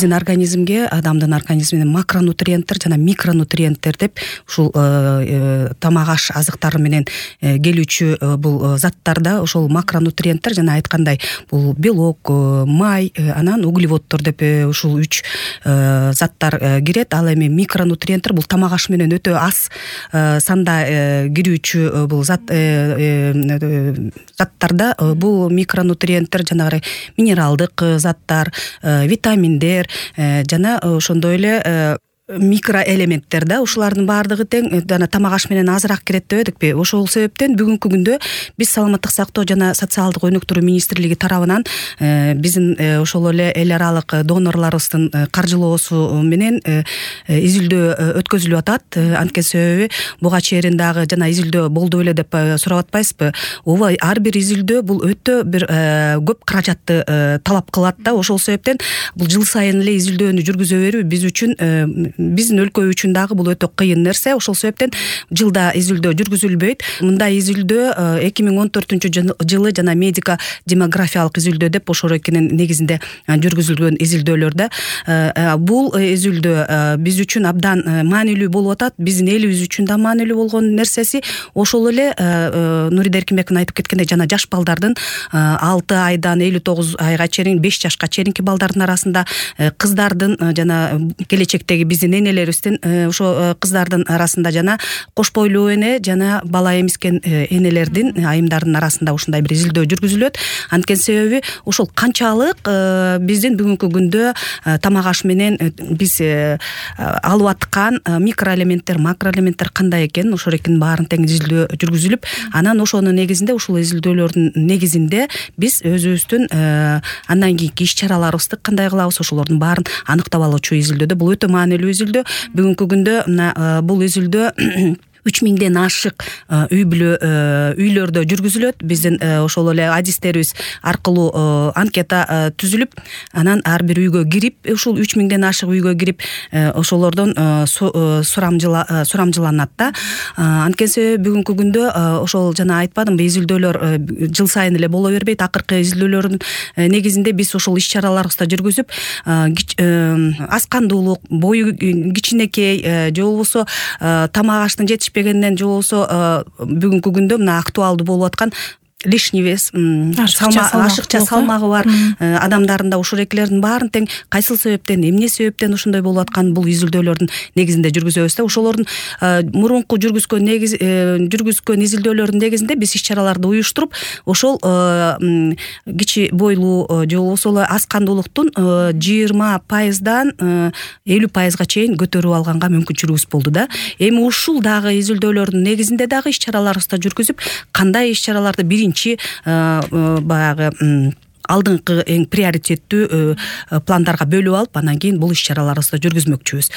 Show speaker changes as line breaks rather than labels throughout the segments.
биздин организмге, адамдын организмине макронутриенттер жана микронутриенттер деп ушул тамак аш азыктары менен келүүчү бул заттарда ошол макронутриенттер жана айткандай бул белок, май, анан углеводдор деп ушул 3 заттар кирет. Ал эми микронутриенттер бул тамак аш менен өтө аз санда кирүүчү бул заттарда бул микронутриенттер жанагы минералдык заттар, витаминдер жана ошондой эле микроэлементтер да, ушулардын баардыгы тең жана тамак аш менен азыраак кирет дебедикпи? Ошол себептен бүгүнкү күндө биз саламаттык сактоо жана социалдык өнүктүрүү министрлиги тарабынан биздин ошол эле эл аралык донорлорубуздун каржылоосу менен изилдөө өткөзүлүп атат. Анткени себеби буга чейин дагы жана изилдөө болду беле деп сурап атпайсызбы? Ооба, ар бир изилдөө бул өтө бир көп каражатты талап кылат да. Ошол себептен бул жыл сайын эле изилдөөнү жүргүзө берүү биз үчүн, биздин өлкө үчүн дагы бул өтө кыйын нерсе. Ошол себептен жылда изилдөө жүргүзүлбөйт. Мындай изилдөө 2014-жылы жана медико демографиялык изилдөө деп ошол экинин негизинде жүргүзүлгөн изилдөөлөр да. Бул изилдөө биз үчүн абдан маанилүү болуп атат. Биздин элибиз үчүн да маанилүү болгон нерсеси ошол эле Нурида Эркинбековна айтып кеткендей жана жаш балдардын 6 айдан 59 айга чейин 5 жашка чейинки балдардын арасында кыздардын жана келечектеги биздин энелерибиздин ошо кыздардын арасында жана кош бойлуу эне жана бала эмискен энелердин айымдардын арасында ушундай бир изилдөө жүргүзүлөт. Анткени себеби ошол канчалык биздин бүгүнкү күндө тамак аш менен биз алып аткан микроэлементтер, макроэлементтер кандай экен, ошол экинин баарын тең изилдөө жүргүзүлүп, анан ошонун негизинде ушул изилдөөлөрдүн негизинде биз өзүбүздүн андан кийинки иш-чараларыбызды кандай кылабыз, ошолордун баарын аныктап алуучу изилдөөдө бул өтө маанилүү изилдөө. Бүгүнкү күндө бул изилдөө 3000ден ашык үйлөрдө жүргүзүлөт. Биздин ошол эле адистерибиз аркылуу анкета түзүлүп, анан ар бир үйгө кирип, ушул 3000ден ашык үйгө кирип, ошолордон сурамжыланат да. Анткени себеби бүгүнкү күндө ошол жана айтпадымбы, изилдөөлөр жыл сайын эле боло бербейт. Акыркы изилдөөлөрдүн негизинде биз ошол иш-чараларыбызды жүргүзүп, аскандуулук, бою кичинекей же болбосо тамак аштын жетишпегенден же болбосо бүгүнкү күндө мына актуалдуу болуп аткан лишний вес, ашыкча салмагы бар адамдарында ушурекилердин баарын тең кайсыл себептен, эмне себептен ушундай болуп аткан бул изилдөөлөрдүн негизинде жүргүзөбүз да. Ошолордун мурунку жүргүзгөн изилдөөлөрдүн негизинде биз иш-чараларды уюштуруп, ошол кичи бойлуу же болбосо аскандуулуктун 20%дан 50%га чейин көтөрүп алганга мүмкүнчүлүгүбүз болду да. Эми ушул дагы изилдөөлөрдүн негизинде дагы иш-чараларыбызды жүргүзүп, кандай иш-чараларды баягы алдыңкы эң приоритеттүү пландарга бөлүп алып, анан кийин бул иш-чараларыбызды жүргүзмөкчүбүз.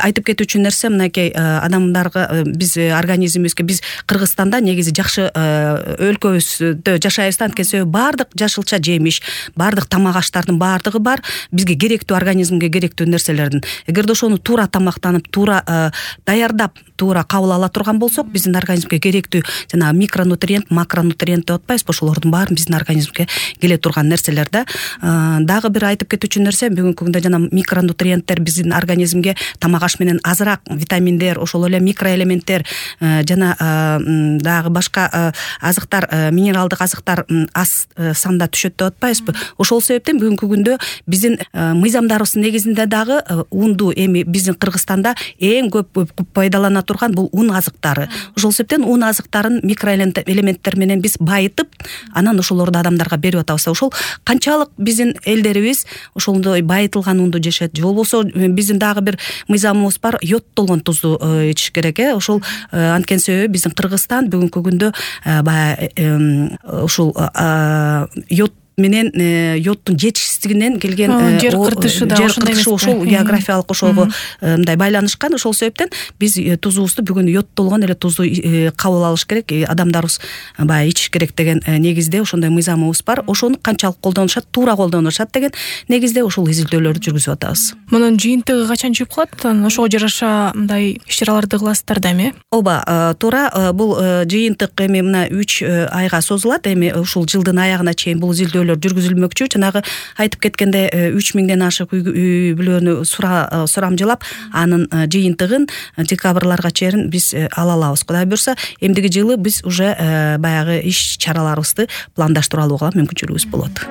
Айтып кетүүчү нерсе мынакей, адамдарга биз организмибизге, биз Кыргызстанда негизи жакшы өлкөбүздө жашайбыз. Анткени себеби баардык жашылча жемиш, баардык тамак аштардын баардыгы бар, бизге керектүү, организмге керектүү нерселердин. Эгерде ошону туура тамактанып, туура даярдап, туура кабыл ала турган болсок, биздин организмге керектүү жана микронутриент, макронутриент деп атпайбызбы, ошолордун баарын биздин организмге келе турган нерселер да. Дагы бир айтып кетүүчү нерсе, бүгүнкү күндө жана микронутриенттер биздин организмге тамак аш менен азыраак витаминдер, ошол эле микроэлементтер жана дагы башка азыктар, минералдык азыктар аз санда түшөт деп атпайбызбы? Ошол себептен бүгүнкү күндө биздин мыйзамдарыбыздын негизинде дагы унду, эми биздин Кыргызстанда эң көп пайдалана турган бул ун азыктары. Ошол себептен ун азыктарын микроэлементтер менен биз байытып, анан ошолорду адамдарга берип атабыз. Ошол канчалык биздин элдерибиз ошондой байытылган унду жешет, же болбосо биздин дагы бир мыйзамыбыз бар, йодтолгон тузду ичиш керек. Ошол анткени себеби биздин Кыргызстан бүгүнкү күндө ушул йод менен йоддун жетишсиздигинен келген
жер кыртышы
ошол географиялык ошого мындай байланышкан. Ошол себептен биз тузубузду бүгүн йодтолгон эле тузду кабыл алыш керек, адамдарыбыз баягы ичиш керек деген негизде ошондой мыйзамыбыз бар. Ошону канчалык колдонушат, туура колдонушат деген негизде ошол изилдөөлөрдү жүргүзүп атабыз.
Мунун жыйынтыгы качан чыгып калат? Ошого жараша мындай иш-чараларды кыласыздар да эми?
Ооба, туура. Бул жыйынтык эми мына 3 айга созулат. Эми ушул жылдын аягына чейин бул изилдөөлөр көзөмөлдөр жүргүзүлмөкчү. Жанагы айтып кеткенде 3000ден ашык үй бүлөнү сурамжылап, анын жыйынтыгын декабрларга чейин биз ала алабыз. Кудай буюрса, эмдиги жылы биз уже баягы иш чараларыбызды пландаштырып алууга мүмкүнчүлүгүбүз болот.